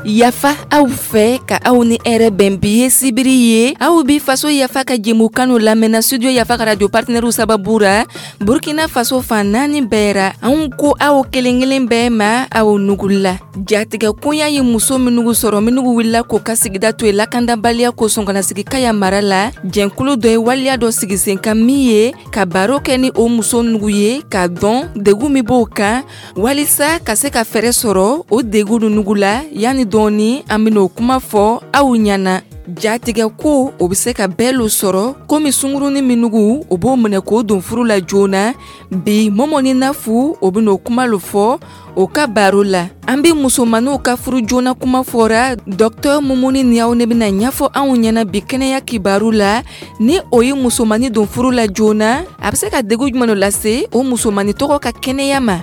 Yafa aw fɛ ka aw ni hɛrɛ bɛn. Bi ye sibiri ye, aw bi Faso Yafa ka jɛmukan lamɛnna Studio Yafa ka radio partenaire sababu ra Burkina Faso fan naani bɛɛ ra. Anw ko aw kelen kelen bɛɛ ma, aw nugula. Jatigɛ koɲa ye muso minnu sɔrɔ, minnu wulila k'o ka sigida to yen lakandabaliya kosɔn ka na sigi Kaya mara la, jɛnkulu dɔ ye waleya dɔ sigi sen kan min ye ka baro kɛ ni o muso nugu ye, k'a dɔn degun min b'o kan, walisa ka se ka fɛɛrɛ sɔrɔ o degun nugu la. Yanni dɔɔni, an ben'o kuma fɔ aw ɲɛna. Jatigɛ ko o be se ka bɛɛ lo sɔrɔ, komi sunguruni minugu o b'o minɛ k'o don furu la joona. Bi, Mɔmɔ ni Nafu o ben'o kuma lo fɔ o ka baro la. An be musomaninw ka furu joona kuma fɔra. Dɔktɔr Mumuni Niyaw ne bena ɲɛfɔ anw ɲɛna bi kɛnɛya kibaru la, ni o ye musomani don furu la joona, a be se ka degu jumɛn lase o musomani tɔgɔ ka kɛnɛya ma.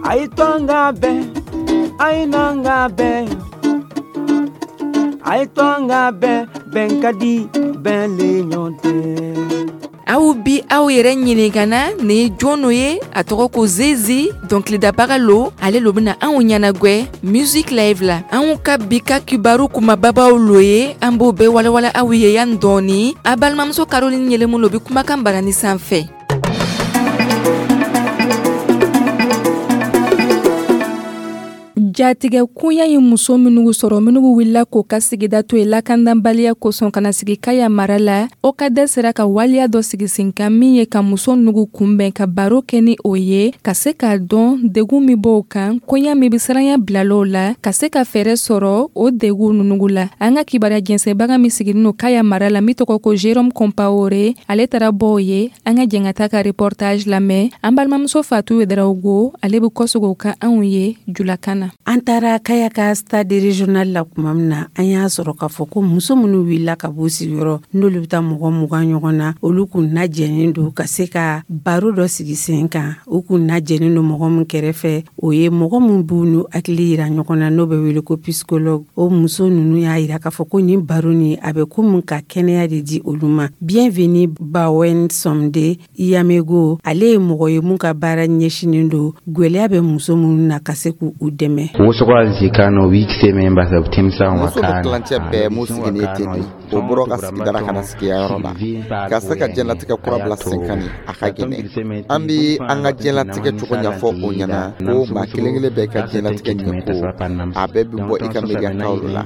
A ye to an ka bɛn, a ye n'an ka bɛn, a ye to an ka bɛn, bɛn ka di, bɛn le ɲɔgɔn tɛ. Aw bi aw yɛrɛ ɲininkana nin ye jɔn ye? A tɔgɔ ko Zezi, dɔnkilidabaga lo. Ale lo bena anw ɲɛnagwɛ music live la. Anw ka bi ka kibaru kumababaw lo ye, an b'o bɛɛ walawala aw ye yan dɔɔni. A balimamuso Caroline Yelemu lo bi kumakan barani sanfɛ. Jatigɛ koɲa ye muso minnu sɔrɔ, minnu wulila k'o ka sigida to yen lakandanbaliya kosɔn ka na sigi Kaya mara la, o ka dɛ sera ka waleya dɔ sigi sen kan min ye ka muso nugu kunbɛn, ka baro kɛ ni o ye, ka se k'a dɔn degun min b'o kan, koɲa min bɛ siranya bilalaw la, ka se ka fɛɛrɛ sɔrɔ o degun nugu la. An ka kibaruya jɛnsɛnbaga min sigilen don Kaya mara la, min tɔgɔ ko Jérôme Compaoré, ale taara bɔ o ye. An ka jɛn ka taa ka reportage lamɛn. An balimamuso Fatou Ouédraogo, ale bɛ kɔsegin o kan anw ye julakan na. An taara Kaya ka stade régional la tuma min na, an y'a sɔrɔ k'a fɔ ko muso minnu wulila ka b'u sigiyɔrɔ, n'olu bɛ taa mɔgɔ 20 ɲɔgɔn na, olu kun lajɛlen don ka se ka baro dɔ sigi sen kan. U kun lajɛlen don mɔgɔ min kɛrɛfɛ, o ye mɔgɔ min b'u n'u hakili yira ɲɔgɔn na, n'o bɛ wele ko psychologue. O muso ninnu y'a yira k'a fɔ ko nin baro nin, a bɛ komi ka kɛnɛya de di olu ma. Bienvenue Bawen Somde Yamego, ale ye mɔgɔ ye mun ka baara ɲɛsinnen don gwɛlɛya bɛ muso minnu na, ka se k'u dɛmɛ. Muso bɛ tilancɛ bɛɛ mun sigilen ten de, o bɔra ka sigida ka na sigiyɔrɔ la ka se ka diɲɛlatigɛ kura bila sen kan. A ka gɛlɛn. An bɛ an ka diɲɛlatigɛ cogo ɲɛfɔ o ɲɛna ko maa kelen kelen bɛɛ ka diɲɛlatigɛ ɲɛko, a bɛɛ bɛ bɔ i ka miiriyataw la.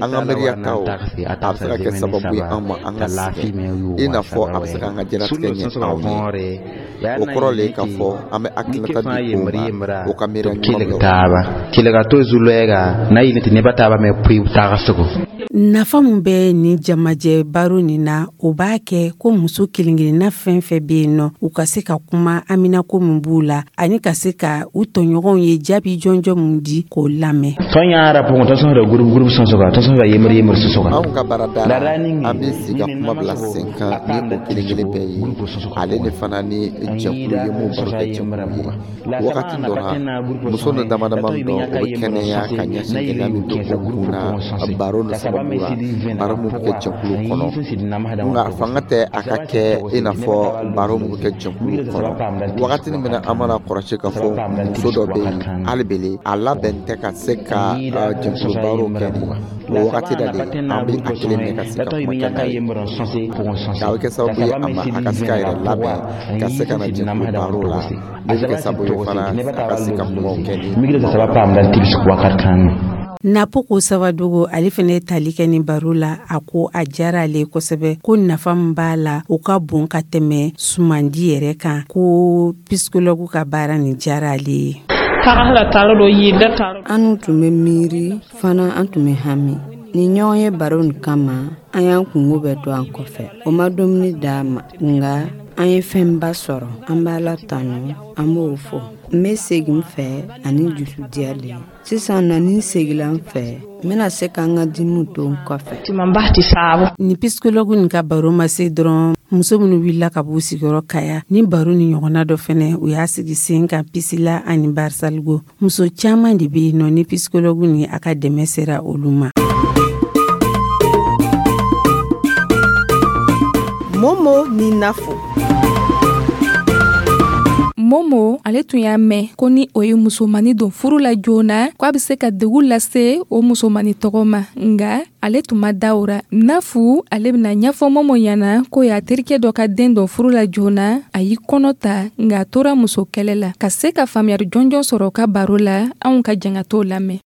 An ka miiriyataw, a bɛ se ka kɛ sababu ye an ma an ka sigi, i n'a fɔ a bɛ se k'an ka diɲɛlatigɛ ɲɛ anw ye. O kɔrɔ le k'a fɔ an bɛ hakilinata di o ma, o ka miiriya ɲuman. Nafa min bɛ nin jamajɛ baro nin na, o b'a kɛ ko muso kelen-kelenna fɛn fɛn bɛ yen nɔ, u ka se ka kuma aminako min b'u la, ani ka se ka u tɔɲɔgɔnw ye jaabi jɔnjɔn min di k'o lamɛn. Anw ka baarada la, an bɛ sigi ka kuma bila sen kan ni o kelen kelen bɛɛ ye, ale de fana ni jɛkulu ye mun baro kɛ jɛkulu ye. Wagati dɔ la, muso ni dama dama dɔ, o bɛ kɛnɛya ka ɲɛsin gɛlɛya min bɛ o kun na baro ni sababu la, baro min bɛ kɛ jɛkulu kɔnɔ. Nka fanga tɛ a ka kɛ i n'a fɔ baro min bɛ kɛ jɛkulu kɔnɔ. Wagati min na an mana kɔlɔsi k'a fɔ muso dɔ bɛ yen, hali bele a labɛn tɛ ka se ka jɛkulu baro kɛ nin o wagati la de, an bɛ a kelen minɛ ka se ka kuma kɛ n'a ye, a bɛ kɛ sababu ye a ma a ka se k'a yɛrɛ labɛn ka se ka na jɛkulu baro la. O bɛ kɛ sababu ye fana a ka se ka kumaw kɛ ni. Napoko Sabadogo, ale fana ye tali kɛ ni baro la. A ko a diyara ale kosɛbɛ, ko nafa min b'a la, o ka bon ka tɛmɛ sumandi yɛrɛ kan, ko psychologue ka baara nin diyara ale ye. An tun bɛ miiri fana, an tun bɛ hami ni ɲɔgɔn ye baro nin kama. An y'an kungo bɛɛ to an kɔfɛ. O ma dumuni d'an ma, nka an ye fɛnba sɔrɔ. An b'a la tanu, an b'o fɔ. N bɛ segin fɛ ani dusu diyalen. Sisan na, ni n seginna n fɛ, n bɛna se ka n ka dimiw to n kɔfɛ. Ni psychologue nin ka baro ma se dɔrɔn, muso minnu wulila ka b'u sigiyɔrɔ Kaya, ni baro ni ɲɔgɔnna dɔ fɛnɛ u y'a sigi sen kan Pisila ani Barisaligo. Muso caman de bɛ yen nɔ ni psychologue ni a ka dɛmɛ sera olu ma. Momo ni Nafo. Momo ale tun y'a mɛn ko ni o ye musomani don furu la joona, ko a bɛ se ka degun lase o musomani tɔgɔ ma, nga ale tun ma da o ra. Nafu ale bɛna ɲɛfɔ Momo ɲɛna ko y'a terikɛ dɔ ka den don furu la joona, a y'i kɔnɔ ta, nka a tora muso kɛlɛ la. Ka se ka faamuyali jɔnjɔn sɔrɔ ka baro la, anw ka jɛn ka t'o lamɛn.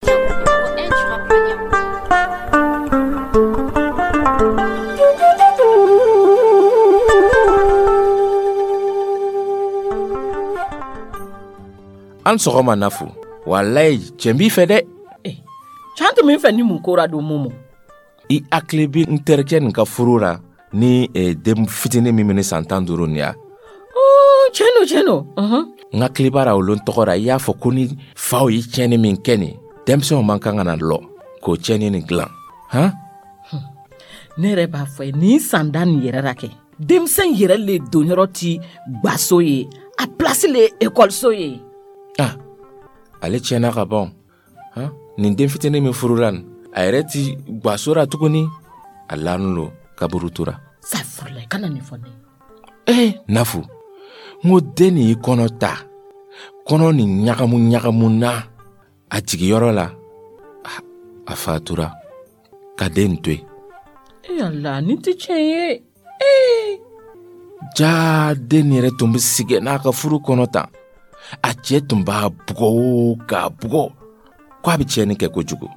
An sɔgɔma Nafu. Walayi, cɛn b'i fɛ dɛ. Can tun bɛ n fɛ ni mun ko ra don, Momo? I hakili bɛ n terikɛ nin ka furu la ni den fitinin min bɛ ni san 15 nin ya? Tiɲɛ don, tiɲɛ don. N hakili b'a la o lon tɔgɔ la, i y'a fɔ ko ni faw ye tiɲɛni min kɛ nin, denmisɛnw man kan ka na lɔ k'o tiɲɛni nin dilan. Han? Ne yɛrɛ b'a fɔ ye, nin san da nin yɛrɛ la kɛ, denmisɛn yɛrɛ le donyɔrɔ ti gwaso ye, a place le ekɔliso ye. Ah, ale tiɲɛna ka ban. Han? Nin den fitinin min furula nin, a yɛrɛ ti gwaso ra tuguni, a lanin lo kaburu tora. Safurula, i kana nin fɔ ne ye. Nafu, n ko den nin y'i kɔnɔ ta, kɔnɔ nin ɲagamu ɲagamu na a jigiyɔrɔ la, a fatura ka den to yen. Ala, nin tɛ tiɲɛ ye. Jaa, den yɛrɛ tun bɛ sigi n'a ka furu kɔnɔ tan. A cɛ tun b'a bugɔ o k'a bugɔ ko a bɛ tiɲɛni kɛ kojugu.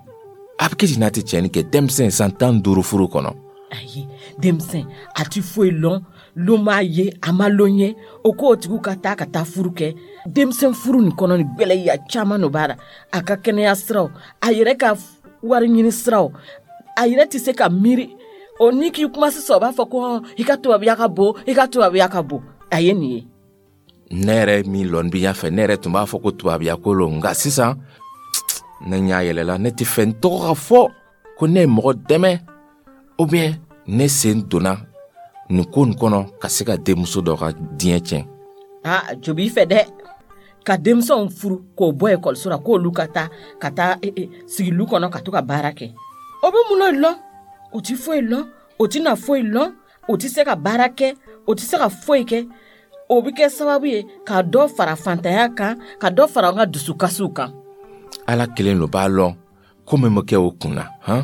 A bɛ kɛ ten n'a tɛ tiɲɛni kɛ, denmisɛn san 15 furu kɔnɔ. Ayi, denmisɛn a ti foyi lɔn, lon m'a ye, a ma lon ye, o k'o tigiw ka taa ka taa furu kɛ. Denmisɛn furu nin kɔnɔ ni gwɛlɛya caman no b'a la. A ka kɛnɛya siraw, a yɛrɛ ka wari ɲini siraw, a yɛrɛ tɛ se ka miiri. O ni k'i kuma sisan, o b'a fɔ ko i ka tubabuya ka bon, i ka tubabuya ka bon. A ye nin ye. Ne yɛrɛ min lɔn bi y'a fɛ, ne yɛrɛ tun b'a fɔ ko tubabuya ko lo, nka sisan ne ɲa yɛlɛla, ne tɛ fɛ n tɔgɔ ka fɔ ko ne ye mɔgɔ dɛmɛ ou bien ne sen donna nin ko nin kɔnɔ ka se ka denmuso dɔ ka diɲɛ tiɲɛ. Aa, jo b'i fɛ dɛ, ka denmisɛnw furu k'o bɔ ekɔliso la, k'olu ka taa ka taa sigi lu kɔnɔ ka to ka baara kɛ. O bɛ mun lɔn? O ti foyi lɔn, o ti na foyi lɔn, o ti se ka baara kɛ, o ti se ka foyi kɛ. O bɛ kɛ sababu ye ka dɔ fara fantanya kan, ka dɔ fara an ka dusukasiw kan. Ala kelen lo b'a lɔn ko min bɛ kɛ o kun na, han?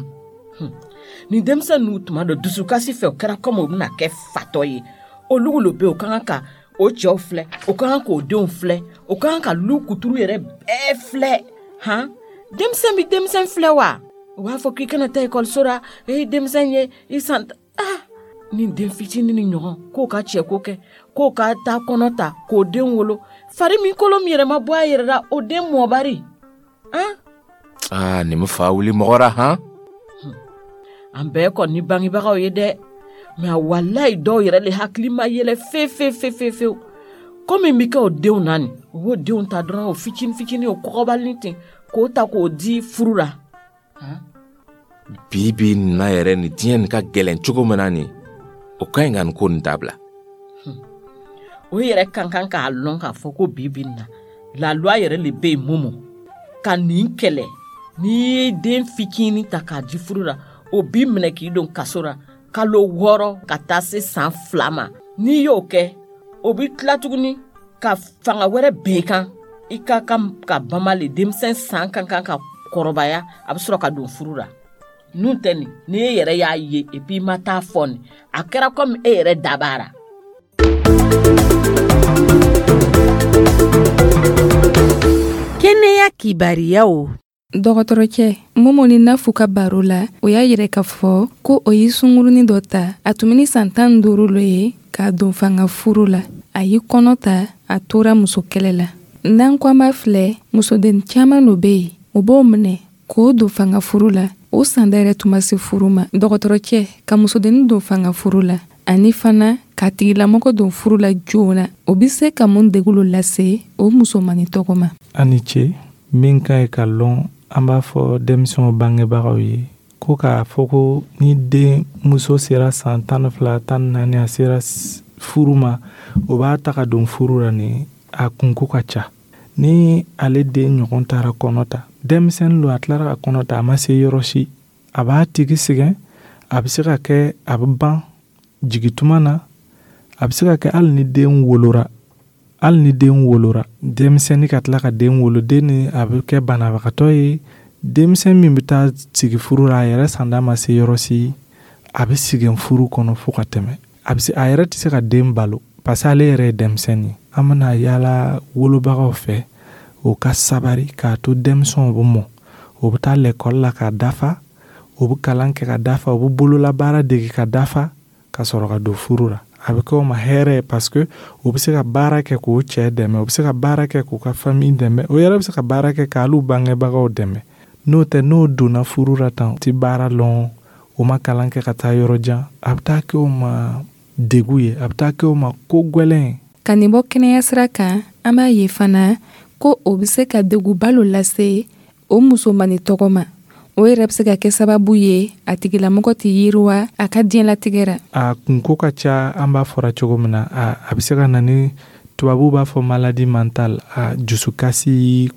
Nin denmisɛn ninnu tuma dɔ dusukasi fɛ, o kɛra komi o bɛna kɛ fatɔ ye. Olu lo bɛ yen, o ka kan ka o cɛw filɛ, o ka kan k'o denw filɛ, o ka kan ka lu kuturu yɛrɛ bɛɛ filɛ, han? Denmisɛn bɛ denmisɛn filɛ wa? O b'a fɔ k'i kana taa ekɔliso la, e denmisɛn ye i san. Ah, nin den fitinin ni ɲɔgɔn k'o ka cɛko kɛ, k'o ka taa kɔnɔ ta k'o den wolo, fari min kolo min yɛrɛ ma bɔ a yɛrɛ la, o den mɔbari. Han? Ah, nin bɛ fa wuli mɔgɔ la, han? An bɛɛ kɔni bangebagaw ye dɛ, mɛ walayi dɔw yɛrɛ le hakili ma yɛlɛ fe fe fe fe fewu. Komi bɛ kɛ o denw na nin, o b'o denw ta dɔrɔn, o fitinin fitinin, o kɔgɔbalinin ten, k'o ta k'o di furu la. Bi bi na yɛrɛ nin diɲɛ nin ka gɛlɛn cogo min na nin, o ka ɲi ka nin ko nin dabila. O yɛrɛ ka kan k'a lɔn k'a fɔ ko bi bi na la loi yɛrɛ le bɛ yen Momo ka nin kɛlɛ. N'i ye den fitinin ta k'a di furu la, o b'i minɛ k'i don kaso la kalo 6 ka taa se san 2 ma. N'i y'o kɛ, o b'i tila tuguni ka fanga wɛrɛ bɛn i kan. I ka kan ka bama le, denmisɛn san ka kan ka kɔrɔbaya, a bɛ sɔrɔ ka don furu la. N'u tɛ nin, ni e yɛrɛ y'a ye et puis i ma taa fɔ nin, a kɛra komi e yɛrɛ dabara. Kɛnɛya kibariyaw. Dɔgɔtɔrɔcɛ Momo ni Nafu ka baro la, o y'a yɛrɛ k'a fɔ ko o ye sungurunin dɔ ta, a tun bɛ ni san 15 lo ye k'a don fanga furu la. A y'i kɔnɔ ta, a tora muso kɛlɛ la. N'an ko an b'a filɛ, musoden caman lo bɛ yen, o b'o minɛ k'o don fanga furu la. O san da yɛrɛ tun ma se furu ma. Dɔgɔtɔrɔcɛ, ka musodennin don fanga furu la ani fana k'a tigilamɔgɔ don furu la joona, o bɛ se ka mun degun lase o musomannin tɔgɔ ma? A ni ce. Min ka ɲi ka lɔn, an b'a fɔ denmisɛnw bangebagaw ye ko k'a fɔ ko ni den muso sera san 12, 14, a sera furu ma, o b'a ta ka don furu la nin, a kunko ka ca. Ni ale den ɲɔgɔn taara kɔnɔ ta, denmisɛnnin don, a tilara ka kɔnɔ ta, a ma se yɔrɔ si, a b'a tigi sɛgɛn, a bɛ se ka kɛ a bɛ ban jigituma na, a bɛ se ka kɛ hali ni den wolora, Hali ni den wolora, denmisɛnnin ka tila ka den wolo, den ni a bɛ kɛ banabagatɔ ye. Denmisɛn min bɛ taa sigi furu la, a yɛrɛ sanda ma se yɔrɔ si, a bɛ sigi furu kɔnɔ fo ka tɛmɛ. A bɛ se, a yɛrɛ tɛ se ka den balo parce que ale yɛrɛ ye denmisɛnnin ye. An bɛna yaala wolobagaw fɛ, o ka sabari k'a to denmisɛnw bɛ mɔ, o bɛ taa lɛkɔli la ka dafa, o bɛ kalan kɛ ka dafa, o bɛ bololabaara dege ka dafa, ka sɔrɔ ka don furu la. A bɛ kɛ o ma hɛrɛ ye parce que o bɛ se ka baara kɛ k'o cɛ dɛmɛ, o bɛ se ka baara kɛ k'u ka famille dɛmɛ, o yɛrɛ bɛ se ka baara kɛ k'ale bangebagaw dɛmɛ. N'o tɛ, n'o donna furu la tan, o tɛ baara lɔn, o ma kalan kɛ ka taa yɔrɔ jan, a bɛ taa kɛ o ma degun ye, a bɛ taa kɛ o ma ko gwɛlɛn ye. Ka nin bɔ kɛnɛya sira kan, an b'a ye fana ko o bɛ se ka degunba lo lase o musomani tɔgɔ ma. O yɛrɛ bɛ se ka kɛ sababu ye a tigilamɔgɔ tɛ yiriwa a ka diɲɛlatigɛ ra. A kunko ka ca. An b'a fɔra cogo min na, a bɛ se ka na ni, tubabuw b'a fɔ maladie mentale, a dusukasi,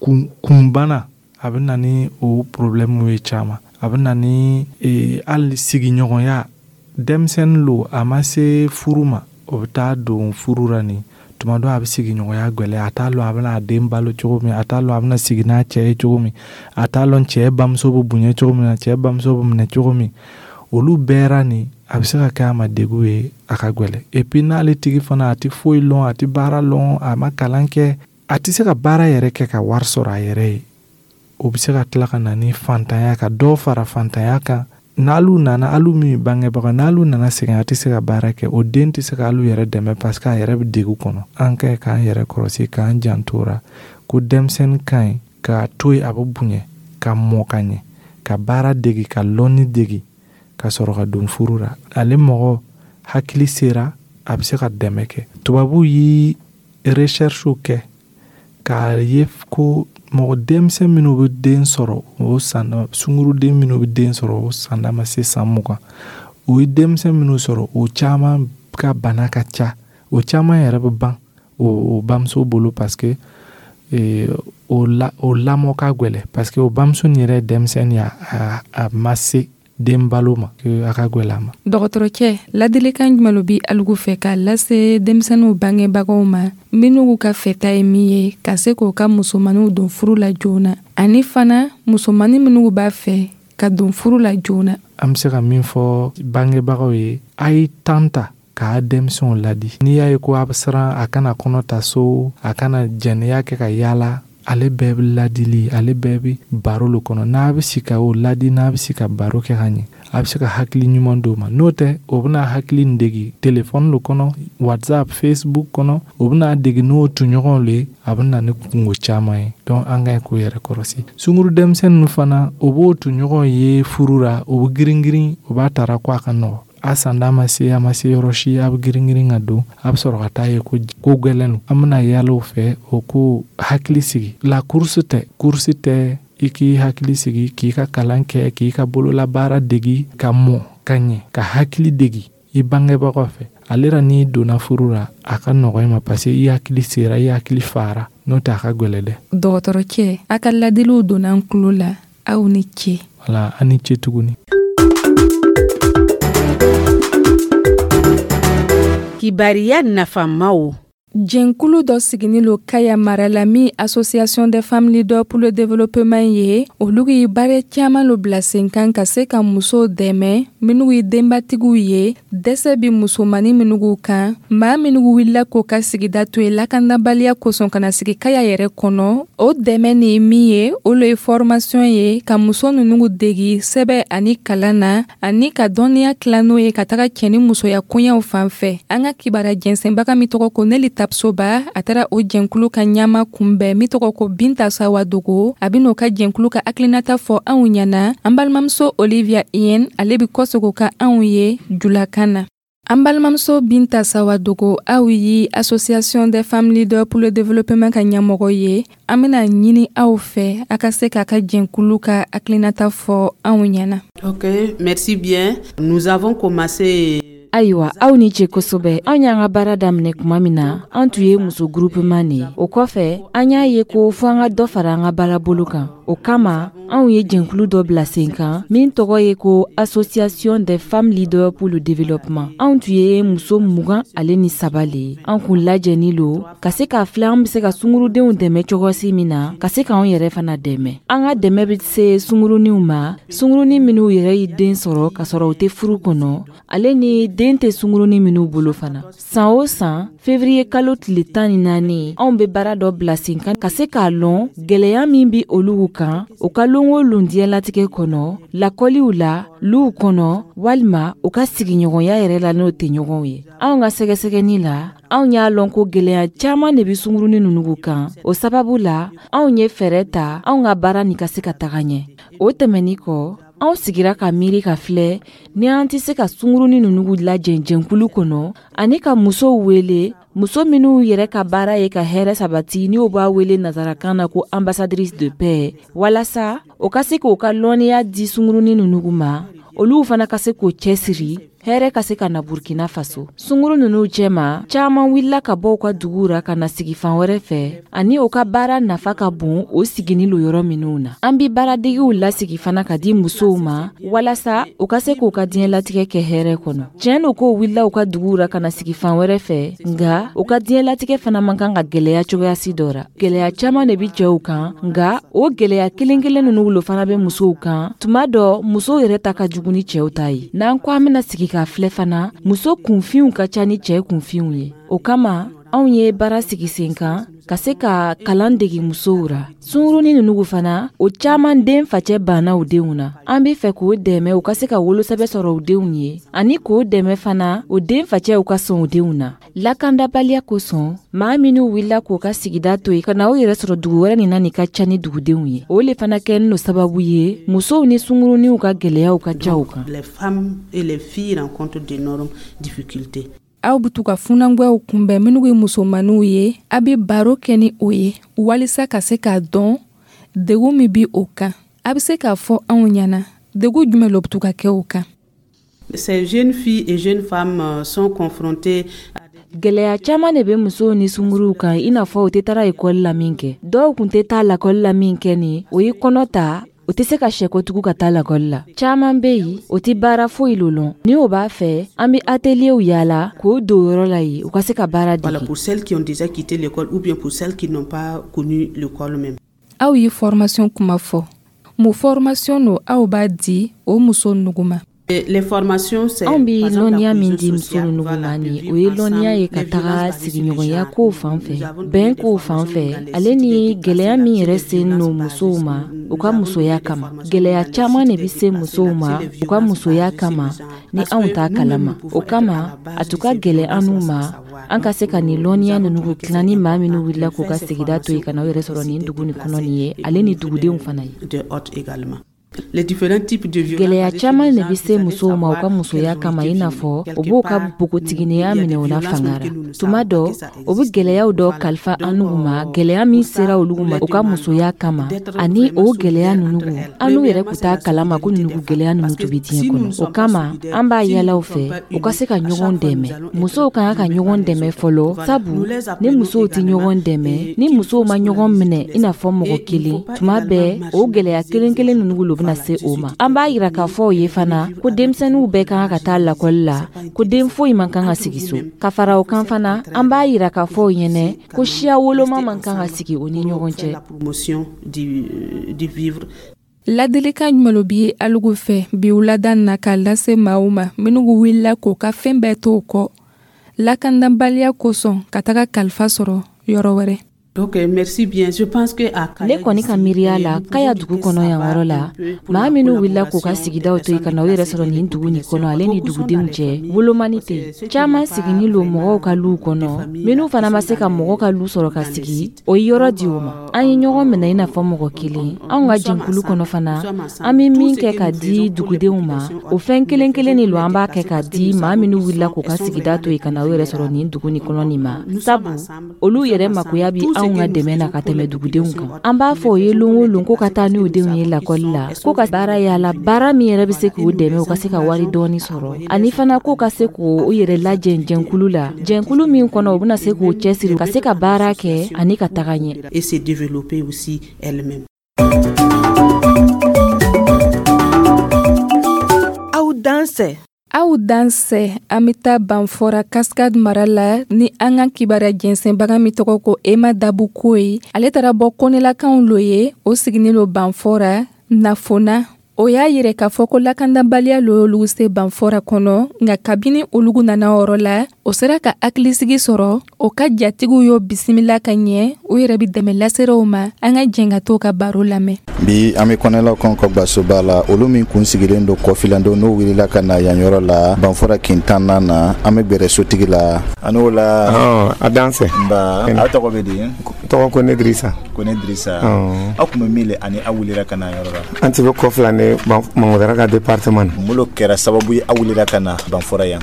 kunbana. A bɛ na ni o problème ye caman. A bɛ na ni hali sigiɲɔgɔnya. Denmisɛnnin lo, a ma se furu ma, o bɛ taa don furu la nin tuma dɔ, a bɛ sigiɲɔgɔnya gwɛlɛya. A t'a lɔn a bɛna a den balo cogo min, a t'a lɔn a bɛna sigi n'a cɛ ye cogo min, a t'a lɔn cɛ bamuso bɛ bonya cogo min na, cɛ bamuso bɛ minɛ cogo min. Olu bɛɛ ra nin, a bɛ se ka kɛ a ma degun ye, a ka gwɛlɛ. Et puis n'ale tigi fana, a tɛ foyi lɔn, a tɛ baara lɔn, a ma kalan kɛ, a tɛ se ka baara yɛrɛ kɛ ka wari sɔrɔ a yɛrɛ ye, o bɛ se ka tila ka na ni fantanya, ka dɔ fara fantanya kan. N'alu nana, alu min bangebaga, n'alu nana sɛgɛn, a tɛ se ka baara kɛ, o den tɛ se ka alu yɛrɛ dɛmɛ parce que a yɛrɛ bɛ degun kɔnɔ. An ka ɲi k'an yɛrɛ kɔlɔsi, k'an janto ra ko denmisɛnnin ka ɲi k'a to yen, a bɛ bonya ka mɔ ka ɲɛ, ka baara degi, ka lɔnni degi, ka sɔrɔ ka don furu la. Ale mɔgɔ hakili sera, a bɛ se ka dɛmɛ kɛ. Tubabuw ye recherche kɛ k'a ye ko mɔgɔ denmisɛn minnu bɛ den sɔrɔ o san, sunguruden minnu bɛ den sɔrɔ o sanda ma se san 20, o ye denmisɛn minnu sɔrɔ, o caman ka bana ka ca, o caman yɛrɛ bɛ ban o bamuso bolo parce que o la, o lamɔ ka gwɛlɛ, parce que o bamuso nin yɛrɛ ye denmisɛnnin ye, a ma se den balo ma, a ka gwɛlɛ a ma. Dɔgɔtɔrɔcɛ, ladilikan jumɛn lo bi alugu fɛ k'a lase denmisɛnninw bangebagaw ma, minnu ka fɛta ye min ye ka se k'o ka musomaninw don furu la joona, ani fana musomanin minnu b'a fɛ ka don furu la joona? An bɛ se ka min fɔ bangebagaw ye, a ye tan ta k'a denmisɛnw ladi. N'i y'a ye ko a bɛ siran a kana kɔnɔ ta so, a kana jɛnɛya kɛ ka yaala, ale bɛɛ bɛ ladili, ale bɛɛ bɛ baro lo kɔnɔ. N'a bɛ si ka o ladi, n'a bɛ si ka baro kɛ ka ɲɛ, a bɛ se ka hakili ɲuman d'o ma. N'o tɛ, o bɛna hakili in degi telefɔni lo kɔnɔ, WhatsApp, Facebook kɔnɔ, o bɛna degi n'o tɔɲɔgɔnw le ye, a bɛ na ni kungo caman ye. Donc an ka ɲi k'o yɛrɛ kɔlɔsi. Sunguru denmisɛnnin fana, o b'o tɔɲɔgɔnw ye furu la, o bɛ girin girin, o b'a tara ko a ka nɔgɔ, a sanda ma se, a ma se yɔrɔ si, a bɛ girin girin ka don, a bɛ sɔrɔ ka taa ye ko ko gwɛlɛn don. An bɛna yaala o fɛ, o ko hakili sigi la. Course tɛ, course tɛ. I k'i hakili sigi, k'i ka kalan kɛ, k'i ka bololabaara degi, ka mɔ ka ɲɛ, ka hakili degi i bangebagaw fɛ. Ale la, n'i donna furu la, a ka nɔgɔ i ma parce que i hakili sera, i hakili fara. N'o tɛ, a ka gwɛlɛ dɛ. Dɔgɔtɔrɔcɛ, a ka ladiliw donna an tulo la. Aw ni ce. Wala, an ni ce tuguni. Kibariya nafamaw. Jɛnkulu dɔ siginin lo Kaya mara la min Association des femmes leaders pour le développement ye, olu ye baara caman lo bila sen kan ka se ka musow dɛmɛ minnu ye denbatigiw ye, dɛsɛ bi musomani minnu kan, maa minnu wulila k'o ka sigida to yen lakanabaliya kosɔn ka na sigi Kaya yɛrɛ kɔnɔ. O dɛmɛ nin ye min ye, o lo ye formation ye ka muso ninnu degi sɛbɛ ani kalan na, ani ka dɔnniya tila n'o ye ka taga cɛ ni musoya koɲɛw fan fɛ. An ka kibara jɛnsɛnbaga min tɔgɔ ko Neli Tapsoba, a taara o jɛnkulu ka ɲama kunbɛn min tɔgɔ ko Binta Sawadogo. A bɛn'o ka jɛnkulu ka hakilinata fɔ anw ɲɛna. An balimamuso Olivia Yen, ale bɛ kɔsegin ka anw ye julakan na. An balimamuso Binta Sawadogo, aw ye Association des femmes leaders pour le développement ka ɲɛmɔgɔ ye. An bɛna ɲini aw fɛ a ka se k'a ka jɛnkulu ka hakilinata fɔ anw ɲɛna. Ok, merci bien. Nous avons commencé Ayiwa, aw ni ce kosɛbɛ. Anw y'an ka baara daminɛ tuma min na, an tun ye muso groupement de ye. O kɔfɛ, an y'a ye ko fo an ka dɔ fara an ka baarabolo kan. O kama, anw ye jɛnkulu dɔ bila sen kan min tɔgɔ ye ko Association des femmes leaders pour le développement. Anw tun ye muso 23 le ye. An kun lajɛni lo ka se k'a filɛ an be se ka sungurudenw dɛmɛ cogosi min na, ka se k'anw yɛrɛ fana dɛmɛ. An ka dɛmɛ bɛ se sunguruninw ma, sungurunin minw yɛrɛ ye den sɔrɔ k'a sɔrɔ u tɛ furu kɔnɔ, ale ni den tɛ sungurunin minw bolo fana. San o san, fevriye kalo tile 14, anw be baara dɔ bila sen kan ka se k'a lɔn gwɛlɛya min be olugu kan u ka lon o lon diɲɛlatigɛ kɔnɔ, lakɔliw la, luw kɔnɔ, walima u ka sigiɲɔgɔnya yɛrɛ la n'o tɛ ɲɔgɔnw ye. Anw ka sɛgɛsɛgɛni la, anw y'a lɔn ko gwɛlɛya caaman de be sungurunin ninnu kan. O sababu la, anw ye fɛɛrɛ ta anw ka baara nin ka se ka taga ɲɛ. O tɛmɛni kɔ, anw sigira ka miiri ka filɛ ni an tɛ se ka sungurunin ninnu lajɛ jɛnkulu kɔnɔ ani ka musow wele, muso minw yɛrɛ ka baara ye ka hɛrɛ sabati, n'o b'a wele nazarakan na ko ambassadrice de paix, walasa o ka se k'o ka lɔnniya di sungurunin ninnu ma, olu fana ka se k'o cɛsiri, hɛrɛ ka se ka na Burkina Faso. Sunguru ninnu cɛma, caaman wulila ka bɔ u ka duguw ra ka na sigi fan wɛrɛ fɛ, ani u ka baara nafa ka bon o sigini lo yɔrɔ minw na. An bi baaradegiw lasigi fana ka di musow ma walasa u ka se k'u ka diɲɛlatigɛ kɛ hɛrɛ kɔnɔ. Tiɲɛ no k'o wulila u ka duguw ra ka na sigi fan wɛrɛ fɛ, nga u ka diɲɛlatigɛ fana man kan ka gwɛlɛya cogoyasi dɔ ra. Gwɛlɛya caaman de bi cɛw kan, nga o gwɛlɛya kelen kelen ninnu lo fana bɛ musow kan. Tuma dɔ, musow yɛrɛ ta ka jugu ni cɛw ta ye. N'an ko an bɛna sigi k'a filɛ fana, muso kunfinw ka ca ni cɛ kunfinw ye. O kama, anw ye baara sigi sen kan ka se ka kalan degi musow ra. Sungurunin ninnu fana, o caaman den facɛ banna u denw na. An be fɛ k'o dɛmɛ u ka se ka wolosɛbɛ sɔrɔ u denw ye, ani k'o dɛmɛ fana o den facɛw ka sɔn u denw na. Lakandabaliya kosɔn, maa minw wulila k'o ka sigida to yen ka na u yɛrɛ sɔrɔ dugu wɛrɛ nin na nin ka ca ni dugudenw ye, o le fana kɛlen no sababu ye musow ni sunguruninw ka gwɛlɛyaw ka ca u kan. Les femmes et les filles rencontrent d'énormes difficultés. Aw bɛ to ka funangwɛw kunbɛn minnu ye musomanninw ye, a bɛ baro kɛ ni o ye walisa ka se k'a dɔn degun min bɛ o kan. A bɛ se k'a fɔ anw ɲɛna degun jumɛn lo bɛ to ka kɛ o kan? Ces jeunes filles et jeunes femmes sont confrontées. Gɛlɛya caaman de bɛ musow ni sunguruw kan, i n'a fɔ u tɛ taara ekɔli la min kɛ. Dɔw kun tɛ taa lakɔli la min kɛ nin, o ye kɔnɔ ta, o tɛ se ka sɛkotugu ka taa lakɔli la. Caaman bɛ yen, o tɛ baara foyi lo lɔn. Ni o b'a fɛ, an bɛ atelierw yaala k'o don yɔrɔ la yen, u ka se ka baara Voilà, dege. pour celles qui ont déjà quitté l'école ou bien pour celles qui n'ont pas connu l'école même. Aw ye formation kuma fɔ. Mun formation no aw b'a di o muso nugu ma? Et les formations, c'est Anw bi par exemple la lɔnniya min cohésion di muso sociale, ninnu voilà, ma de nin, vivre o ye ensemble, lɔnniya ye ka les taga violences basées sur le sigiɲɔgɔnya genre. kow fan Nous fɛ, avons donné bɛn des kow fan formations fɛ, dans les ale sites ni des gɛlɛya déplacés, min là, yɛrɛ les sen no violences musow basées ma sur- u ka nous avons musoya donné des kama. formations Gɛlɛya dans les caaman sites de des bɛ se déplacés, musow là, ma sur les u ka violences musoya basées sur le kama genre. ni Parce anw que t'a nous-mêmes, kalama. nous pouvons O être à kama, la base a de tun ka ces gɛlɛn an violences n'u sans ma savoir. an ka Donc, se ka nin nous lɔnniya avons ninnu trouvé que tilan c'est ni maa minnu important wulila de k'u faire ka ces sigida to yen formations ka na u yɛrɛ au sɔrɔ nin niveau dugu des nin kɔnɔ nin déplacés ye, et au ale ni niveau dugudenw fana ye. des hôtes également. Les différents types de violences Gɛlɛya basées sur caaman le de genre, bɛ vous se allez musow ma u savoir ka qu'elles musoya ont kama, été i n'a violées. fɔ u Quelque b'o ka part, nous, npogotiginiya il y a minɛ des u la violences fanga même ra. que nous ne Tuma savons pas dɔ, que ça o bɛ existe. gɛlɛyaw dɔ Voilà. kalifa Donc, an n'u ma, gɛlɛya pour min ça, sera olu nous ma les u ka demandons musoya kama, d'être ani vraiment o gɛlɛya solidaires ninnu entre elles. an n'u yɛrɛ Premièrement, kun c'est t'a la kalama ko solidarité ninnu des femmes. gɛlɛya ninnu Parce tun que bɛ diɲɛ si nous kɔnɔ. ne O sommes pas kama, solidaires, an b'a si nous yala ne u sommes fɛ pas u ka unis, se ka à chaque ɲɔgɔn fois, nous dɛmɛ. allons Musow être ka kan ka dominés par ɲɔgɔn les dɛmɛ autres. fɔlɔ, Voilà. sabu Nous les ni appelons musow tɛ également ɲɔgɔn dɛmɛ, et ni qu'il musow faut ma ɲɔgɔn solidariser minɛ tous i les n'a fɔ mɔgɔ Et il ne kelen, faut pas tuma également bɛɛ o gɛlɛya marginaliser kelen les kelen autres. ninnu lo bɛna Voilà, se je o suis ma. tout An à b'a fait yira k'a unie fɔ o ye et fana vivre ko avec denmisɛnninw vous, bɛɛ ka kan ka taa lakɔli la, c'est pas ko den intéressant. foyi man kan ka Entre sigi so. vous-même, Ka fara o il faut kan cette fana, an b'a entraide yira k'a pour fɔ o que vous ɲɛnɛ puissiez ko quand même siya woloma rester man kan ka ensemble sigi o ni pour ɲɔgɔn faire cɛ. la promotion du vivre. Ladilikan jumɛn lo bi alugu fɛ bi wulada na k'a lase maaw ma minnu wulila k'u ka fɛn bɛɛ to o kɔ lakanabaliya kosɔn ka taga kalifa sɔrɔ yɔrɔ wɛrɛ? Donc, merci bien. Je pense que à Ne Kaya kɔni ka ici, miiriya la, nous Kaya pouvons dugu dire que kɔnɔ ça yan va yɔrɔ un la, peu pour maa la minnu wulila k'u ka collaboration des sigidaw to yen ka personnes na u yɛrɛ déplacées sɔrɔ et nin les dugu nin populations. kɔnɔ, ale ni Beaucoup sont dans dugudenw les cɛ, familles, wolomani parce tɛ que yen. ceux qui Caman n'ont pas sigini lo mɔgɔw vraiment ka luw de kɔnɔ, famille minnu là, qui fana ma sont se ka dans mɔgɔ les, ka lu sɔrɔ ka dans les sigi, sites. o ye yɔrɔ Donc, di u ma. An ye ɲɔgɔn minɛ i n'a fɔ mɔgɔ kelen. Anw nous ka sommes jɛnkulu kɔnɔ ensemble. Nous fana, sommes an ensemble. bɛ Tout min ce kɛ que ka nous di faisons pour les dugudenw ma, populations o autres, fɛn nous le kelen faisons kelen de pour lo les an b'a kɛ déplacés ka parce que di nous maa savons minnu qu'ils wulila sont, k'u elles ka sont sigida vraiment to les yen ka plus na u yɛrɛ sɔrɔ vulnérables. nin dugu nin kɔnɔ nin ma, Nous sommes sabu ensemble. olu Nous yɛrɛ sommes makoya ensemble. bi Tout ce anw ka dɛmɛ na ka tɛmɛ dugudenw kan. An b'a fɔ o ye lon o lon ko ka taa n'u denw ye lakɔli la, ko ka baara yala, baara min yɛrɛ bɛ se k'u dɛmɛ u ka se ka wari dɔɔni sɔrɔ, ani fana ko ka se k'u yɛrɛ lajɛ jɛnkulu la, jɛnkulu min kɔnɔ u bɛna se k'u cɛsiri ka se ka baara kɛ ani ka taga ɲɛ. Et se développer aussi elle-même. Aw dansɛ. Aw dansɛ, an bɛ taa Banfora Cascade mara la ni an ka kibaruya jɛnsɛnbaga min tɔgɔ ko Ema Dabuko ye. Ale taara bɔ Kɔnɛlakaw lo ye, o siginin lo Banfora Nafona. O y'a yɛrɛ k'a fɔ ko lakandabaliya lo y'olu se Banfora kɔnɔ, nka kabini olugu nana yɔrɔ la, o sera ka hakilisigi sɔrɔ. O ka jatigiw y'o bisimila ka ɲɛ, u yɛrɛ bɛ dɛmɛ laseraw ma. An ka jɛn ka t'o ka baro lamɛn. Bi an bɛ Kɔnɛlaw ka gwasoba la, olu min kun sigilen don kɔfilandenw n'o wulila ka na yan yɔrɔ la Banfora kintanna na. An bɛ gbɛrɛ sotigi la a n'o la. A dansɛ. Nba, aw tɔgɔ bɛ di? Tɔgɔ ko ne Dirisa. Ko ne Dirisa. Aw kun bɛ min le ani aw wulila ka na yɔrɔ la? An ti bɛ kɔfilan ne Mangodara ka département na. Mun lo kɛra sababu ye aw wulila ka na Banfora yan?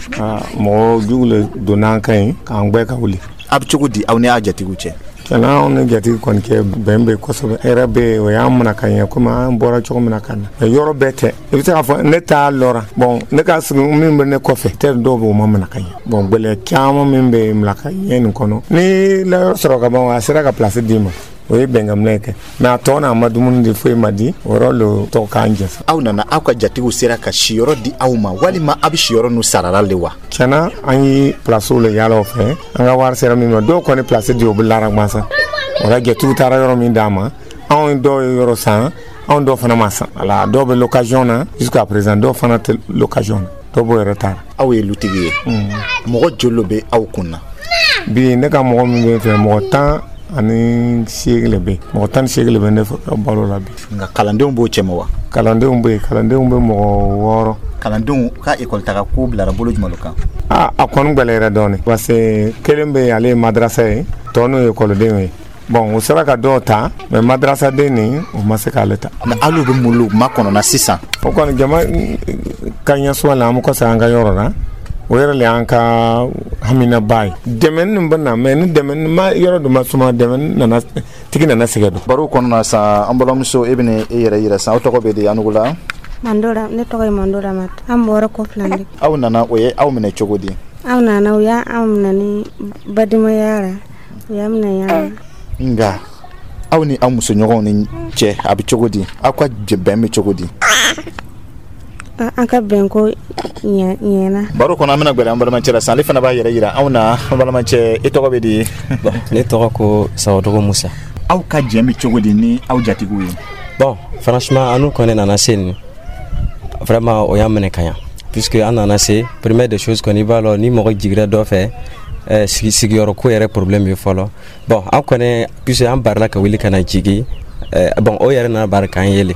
Mɔgɔ jugu le donna an kan yen k'an gbɛ ka wuli. A bɛ cogo di aw ni aw jatigiw cɛ? Tiɲɛna, anw ni jatigi kɔni cɛ bɛn bɛ kosɛbɛ. Hɛrɛ bɛ yen, o y'an minɛ ka ɲɛ komi an bɔra cogo min na ka na. Mais yɔrɔ bɛɛ tɛ. I bɛ se k'a fɔ ne t'a lɔra. Bon, ne ka sigi min bɛ ne kɔfɛ, tɛ dɔw bɛ o ma minɛ ka ɲɛ. Bon, gɛlɛya caman min bɛ minɛ ka ɲɛ nin kɔnɔ. Ni layɔrɔ sɔrɔ ka ban, a sera ka place d'i ma. O ye bɛnkanminɛ kɛ. Mais a tɔ n'a ma dumuni di, foyi ma di, o yɔrɔ le tɔ k'an jɛ. Aw nana, aw ka jatigiw sera ka siyɔrɔ di aw ma walima aw bɛ siyɔrɔ n'u sarala le wa? Tiɲɛna, an ye place le yaala o fɛ. An ka wari sera min ma, dɔw kɔni place di o bɛ lara gansan. O la jatigiw taara yɔrɔ min d'an ma, anw dɔw ye yɔrɔ san, anw dɔw fana ma san. Wala dɔw bɛ location na jusqu'à présent, dɔw fana tɛ location na, dɔw b'o yɛrɛ ta. Aw ye lutigi ye, mɔgɔ joli bɛ aw kun na? Bi ne ka mɔgɔ min bɛ fɛ, mɔgɔ 18 le bɛ, mɔgɔ 18 le bɛ ne ka balo la bi. Nka kalandenw b'o cɛma wa? Kalandenw bɛ yen, kalandenw bɛ mɔgɔ 6. Kalandenw ka ekɔli taga ko bilara bolo jumɛn kan? A kɔni gɛlɛyara dɔɔnin parce que kelen bɛ yen, ale ye madarasa ye, tɔ n'o ye ekɔlidenw ye. Bon, u sera ka dɔw ta, mais madarasaden nin, o ma se k'ale ta. Mais alu bɛ mun makɔnɔna sisan? O kɔni jama ka ɲɛsuma la, an bɛ kɔsa an ka yɔrɔ la. O yɛrɛ le y'an ka haminaba ye. Dɛmɛ nin bɛ na, mais ni dɛmɛ ma yɔrɔ dɔ ma suma, dɛmɛ nana tigi nana sɛgɛn don. Baro kɔnɔna sa, an balimamuso, e bɛna e yɛrɛ yira sisan, aw tɔgɔ bɛ di Anugula? Mandora, ne tɔgɔ ye Mandora Mata. An bɔra Kɔfilan de. Aw nana, o ye aw minɛ cogo di? Aw nana, u y'an minɛ ni bademaya la, u y'an minɛ yan. Nka aw ni aw musoɲɔgɔnw ni cɛ a bɛ cogo di? Aw ka bɛn bɛ cogo di? An ka bɛn ko ɲɛna. Baro kɔnɔ, an bɛna gbɛrɛ an balimacɛ la sisan, ale fana b'a yɛrɛ yira anw na. An balimacɛ, e tɔgɔ bɛ di? Ne tɔgɔ ko Sawadogo Musa. Aw ka jɛn bɛ cogo di ni aw jatigiw ye? Bon, franchement, an n'u kɔni nana se nin, vraiment o y'an minɛ ka ɲa, puisque an nana se, première des choses kɔni, i b'a lɔn ni mɔgɔ jigira dɔ fɛ, sigiyɔrɔ ko yɛrɛ problème bɛ fɔlɔ. Bon, an kɔni, puisque an barila ka wuli ka na jigi, bon, o yɛrɛ nana bari k'an yele.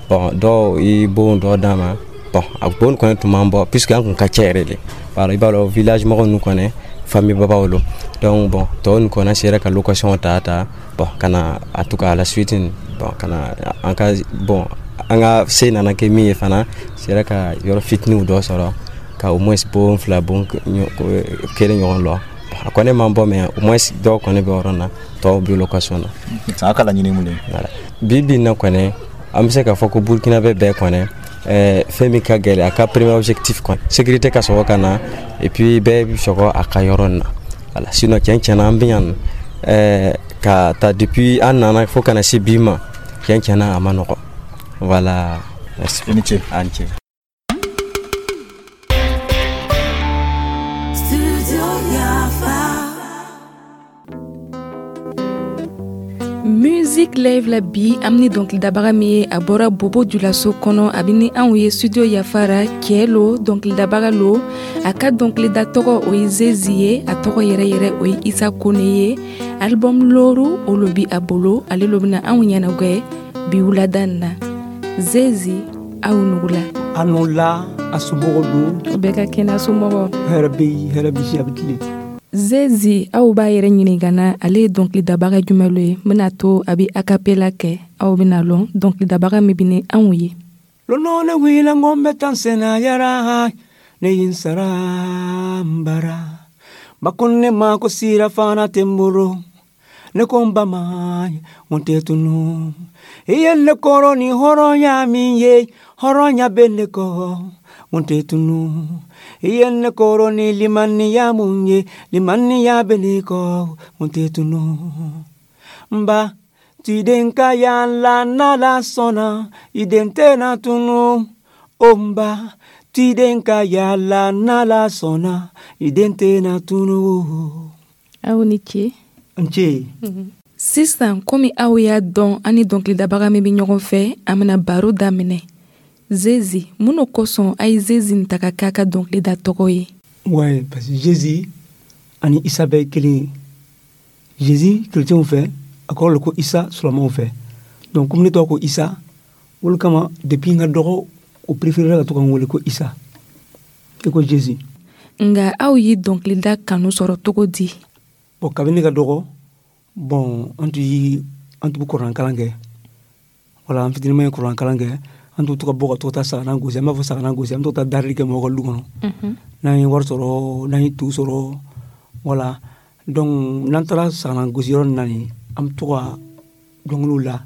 Bon, dɔw i bon dɔ d'an ma. Bon, a bon kɔni tun b'an bɔ puisque an kun ka ca yɛrɛ de. Voilà, i b'a dɔn village mɔgɔ ninnu kɔni, famille babaw lo. Donc bon, tɔw nin kɔni sera ka location ta. Bon, ka na, en tout cas à la suite, bon, ka na an ka, bon, an ka se nana kɛ min ye fana, sera ka yɔrɔ fitininw dɔ sɔrɔ ka au moins bon fila, bon kelen ɲɔgɔn lɔ. A kɔni man bɔ, mais au moins dɔw kɔni bɛ yɔrɔ na, tɔw bɛ location na. A ka laɲini mun ye? Voilà, bi bi in na kɔni, an bɛ se k'a fɔ ko Burkina bɛ bɛɛ kɔni, fɛn min ka gɛlɛn, a ka premier objectif kɔni, sécurité ka sɔrɔ ka na, et puis bɛɛ bɛ sɔrɔ a ka yɔrɔ na. Voilà, sinon tiɲɛ na, an bɛ yan ka ta depuis an nana fo ka na se bi ma, tiɲɛ na, a ma nɔgɔ. Voilà, merci. I ni ce. A ni ce. Musique Live la bi, an ni dɔnkilidabaga min ye, a bɔra Bobo Julaso kɔnɔ, a bɛ ni anw ye studio Yafara. Cɛ lo, dɔnkilidabaga lo. A ka dɔnkilida tɔgɔ o ye Zezi ye, a tɔgɔ yɛrɛ yɛrɛ o ye Isa Kone ye. Album loru o lo bi a bolo, ale lo bɛna anw ɲɛnagwɛ bi wulada in na. Zezi, aw nugula. A la, a somɔgɔw don? O bɛɛ ka kɛnɛ, somɔgɔw. Hɛrɛ bɛ yen, hɛrɛ bɛ si, a bɛ tilen. Zezi, aw b'a yɛrɛ ɲininka na, ale ye dɔnkilidabaga jumɛn lo ye? N bɛna to a bɛ acapella kɛ, aw bɛna lɔn dɔnkilidabaga min bɛ ni anw ye. Lono ne wila ngombe tan sena yara ne yinsara mbara bakonne ma ko sira fana temboro Ne ko n ba ma, n tɛ tunu. I ye ne kɔrɔ ni hɔrɔnya min ye, hɔrɔnya bɛ ne kɔ, n tɛ tunu. I ye ne kɔrɔ ni limaniya mun ye, limaniya bɛ ne kɔ, n tɛ tunu. N ba, tiden ka yaala n'Ala sɔnna, i den tɛna tunu. O n ba, tiden ka yaala n'Ala sɔnna, i den tɛna tunu. Aw ni ce. N ce. Sisan, komi aw y'a dɔn an ni dɔnkilidabaga min bɛ ɲɔgɔn fɛ, an bɛna baro daminɛ. Zezi, mun de kosɔn a ye Zezi nin ta ka k'a ka dɔnkilida tɔgɔ ye? Ouais, parce que Jésus ani Isa bɛɛ ye kelen ye. Jésus chrétienw fɛ, a kɔrɔ le ko Isa silamɛw fɛ. Donc komi ne tɔgɔ ko Isa, olu kama depuis n ka dɔgɔ, o préféré ka to ka n wele ko Isa i ko Jésus. Nka aw ye dɔnkilida kanu sɔrɔ cogo di? Bon, kabini ne ka dɔgɔ, bon, an tun bɛ kuran kalan kɛ. Wala an fitinin ye kuran kalan kɛ, an tun to ka bɔ ka to taa sagana gosi. An b'a fɔ sagana gosi, an bɛ to ka taa darili kɛ mɔgɔw ka lu kɔnɔ. N'an ye wari sɔrɔ, n'an ye to sɔrɔ, wala. Donc n'an taara sagana gosi yɔrɔ nin na nin, an bɛ to ka dɔnkiliw la.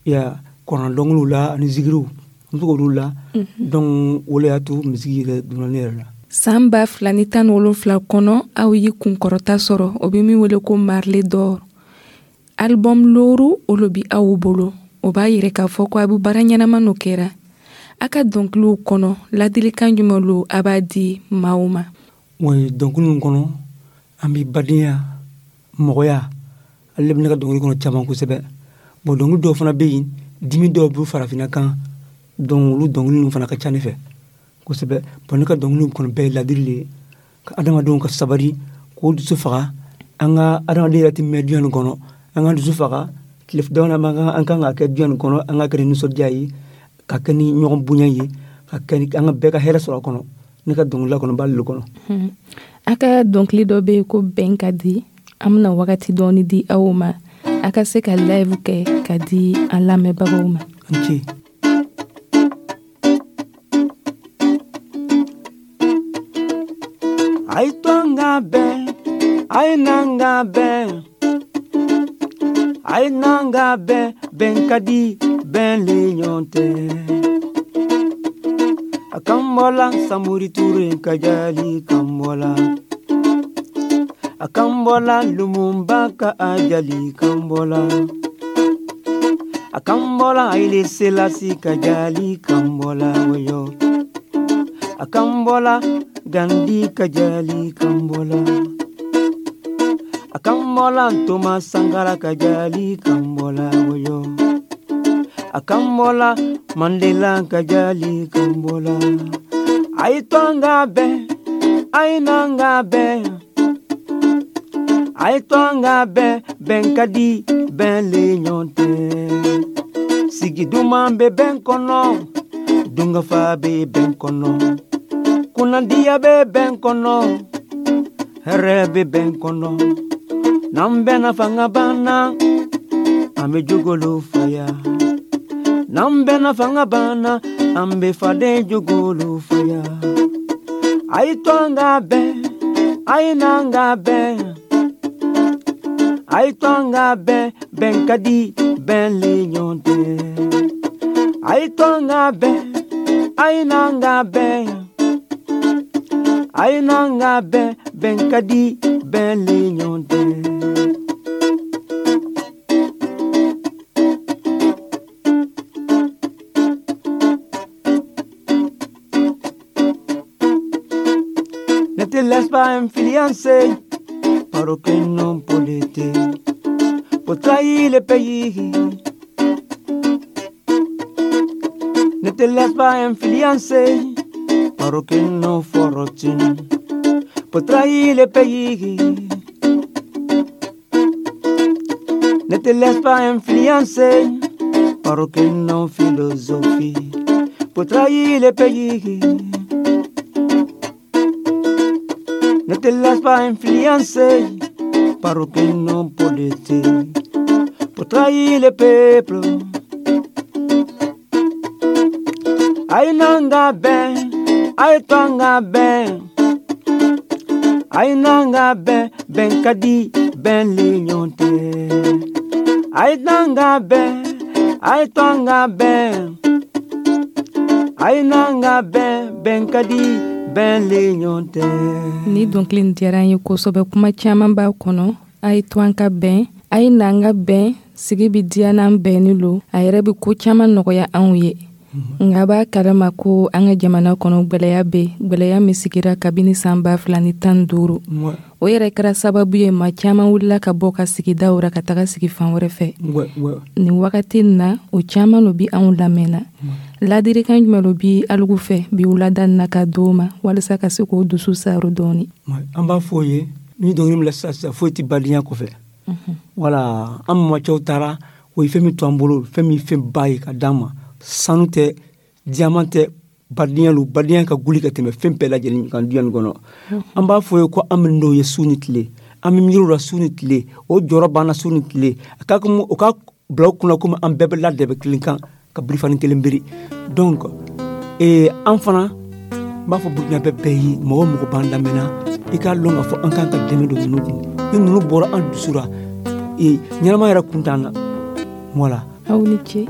Ya kuran dɔnkiliw la ani zikiriw, an bɛ to k'olu la. Donc o le y'a to misiki yɛrɛ donna ne yɛrɛ la. San 2017 kɔnɔ, aw ye kunkɔrɔta sɔrɔ, o bɛ min wele ko Marley d'Or. Album looru olu bi aw bolo, o b'a yira k'a fɔ ko a bɛ baara ɲɛnama n'o kɛra. A ka dɔnkiliw kɔnɔ, ladilikan jumɛn lo a b'a di maaw ma? Oui, dɔnkili ninnu kɔnɔ, an bɛ badenya, mɔgɔya, ale bɛ ne ka dɔnkili kɔnɔ caman kosɛbɛ. Bon, dɔnkili dɔw fana bɛ yen, dimi dɔw bɛ farafinna kan, donc olu dɔnkili ninnu fana ka ca ne fɛ kosɛbɛ. Bon, ne ka dɔnkiliw kɔnɔ bɛɛ ye ladili de ye, ka adamadenw ka sabali, k'o dusu faga. An ka adamaden yɛrɛ tɛ mɛn diɲɛ nin kɔnɔ, an ka dusu faga. Tile dama dama an kan ka kɛ diɲɛ nin kɔnɔ, an ka kɛ ni nisɔndiya ye, ka kɛ ni ɲɔgɔn bonya ye, ka kɛ ni an ka bɛɛ ka hɛrɛ sɔrɔ a kɔnɔ. Ne ka dɔnkilila kɔnɔ b'ale de kɔnɔ. A ka dɔnkili dɔ bɛ yen ko Bɛn ka di. An bɛna wagati dɔɔni di aw ma, a ka se ka live kɛ ka di an lamɛnbagaw ma. N ce. A ye to an ka bɛn, a ye n'an ka bɛn, a ye n'an ka bɛn, bɛn ka di, bɛn le ɲɔgɔn tɛ. A kan bɔla Samori Ture ka jali kan bɔla. A kan bɔla Lumumba ka ajali kan bɔla. A kan bɔla Haile Selassie ka jali kan bɔla woyo. A kan bɔla Gandhi ka jali kan bɔla. A kan bɔla Thomas Sankara ka jali kan bɔla woyo. A kan bɔla Mandela ka jali kan bɔla. A ye to an ka bɛn, a ye n'an ka bɛn, a ye to an ka bɛn, bɛn ka di, bɛn le ɲɔgɔn tɛ. Sigi duman bɛ bɛn kɔnɔ, dunkafa bɛ bɛn kɔnɔ, kunnadiya bɛ bɛn kɔnɔ, hɛrɛ bɛ bɛn kɔnɔ. N'an bɛnna fanga banna, an bɛ jogolo faya. N'an bɛnna fanga banna, an bɛ faden jogolo faya. A ye to an ka bɛn, a ye n'an ka bɛn, a ye to an ka bɛn, bɛn ka di, bɛn le ɲɔgɔn tɛ. A ye to an ka bɛn, a ye n'an ka bɛn, a ye n'an ka bɛn, bɛn ka di, bɛn le ɲɔgɔn tɛ. Ne te laisse pas influencer par aucun homme politique pour trahir le pays. Ne te laisse pas influencer par aucune fortune pour trahir le pays. Ne te laisse pas influencer par aucune philosophie pour trahir le pays. Ne te laisse pas influencer par aucun homme politique pour trahir le peuple. Aïe nanga ben, aïe tanga ben, aïe nanga ben, ben kadi, ben. Bɛn le ɲɔgɔn tɛ. A ye t'an ka bɛn, a ye to an ka bɛn, a ye n'an ka bɛn, bɛn ka di, bɛn le ɲɔgɔn tɛ. Ni dɔnkili nin diyara an ye kosɛbɛ. Kuma caman b'a kɔnɔ. A ye to an ka bɛn, a ye na an ka bɛn. Sigi bi diya n'an bɛnni lo. A yɛrɛ bɛ ko caman nɔgɔya anw ye. Nka a b'a kalama ko an ka jamana kɔnɔ, gwɛlɛya bɛ, gwɛlɛya min sigira kabini san 2015. O yɛrɛ kɛra sababu ye, maa caman wulila ka bɔ ka sigidaw ra ka taga sigi fan wɛrɛ fɛ. Nin wagati nin na, o caman lo bi anw lamɛnna. Ladirikan jumɛn lo bi alugu fɛ bi wulada nin na ka d'o ma, walisa ka se k'o dusu saro dɔɔni? An b'a fɔ o ye ni dɔnkili min la sisan sisan, foyi tɛ badenya kɔfɛ. Wala an mamacɛw taara, o ye fɛn min to an bolo, fɛn min fɛn ba ye ka d'an ma, sanu tɛ, diamant tɛ, badenya lo. Badenya ka guli ka tɛmɛ fɛn bɛɛ lajɛlen kan duɲa nin kɔnɔ. An b'a fɔ ye ko an bɛ n'o ye su ni tile, an bɛ miiri o la su ni tile, o jɔrɔ b'an na su ni tile. A ka o ka bila o kunna komi an bɛɛ bɛ ladɛbɛ kelen kan ka birifani kelen biri. Donc an fana n b'a fɔ Burukina bɛɛ ye, mɔgɔ o mɔgɔ b'an lamɛnna, i k'a lɔn k'a fɔ an kan ka dɛmɛ don ninnu kun. Ni ninnu bɔra an dusu la, ɲɛnama yɛrɛ kun t'an na. Voilà. Aw ni ce.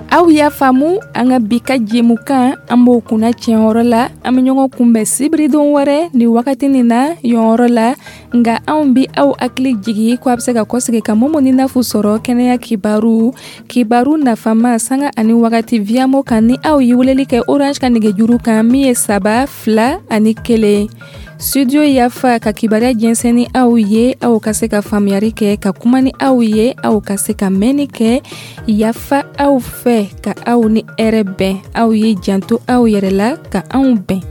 Aw y'a faamu, an ka bi ka jɛmukan, an b'o kunna tiɲɛyɔrɔ la. An bɛ ɲɔgɔn kunbɛn sibiridon wɛrɛ ni wagati nin na yɔrɔ la. Nka anw bi aw hakili jigi ko a bɛ se ka kɔsegi ka Momo ni Nafu sɔrɔ kɛnɛya kibaru, kibaru nafama, sanga ani wagati Viamo kan, ni aw ye weleli kɛ Orange ka nɛgɛjuru kan min ye 3 2 ani 1. Studio Yafa ka kibaruya jɛnsɛn ni aw ye, aw ka se ka faamuyari kɛ, ka kuma ni aw ye, aw ka se ka mɛnni kɛ. Yafa aw fɛ, ka aw ni hɛrɛ bɛn. Aw ye janto aw yɛrɛ la, ka anw bɛn.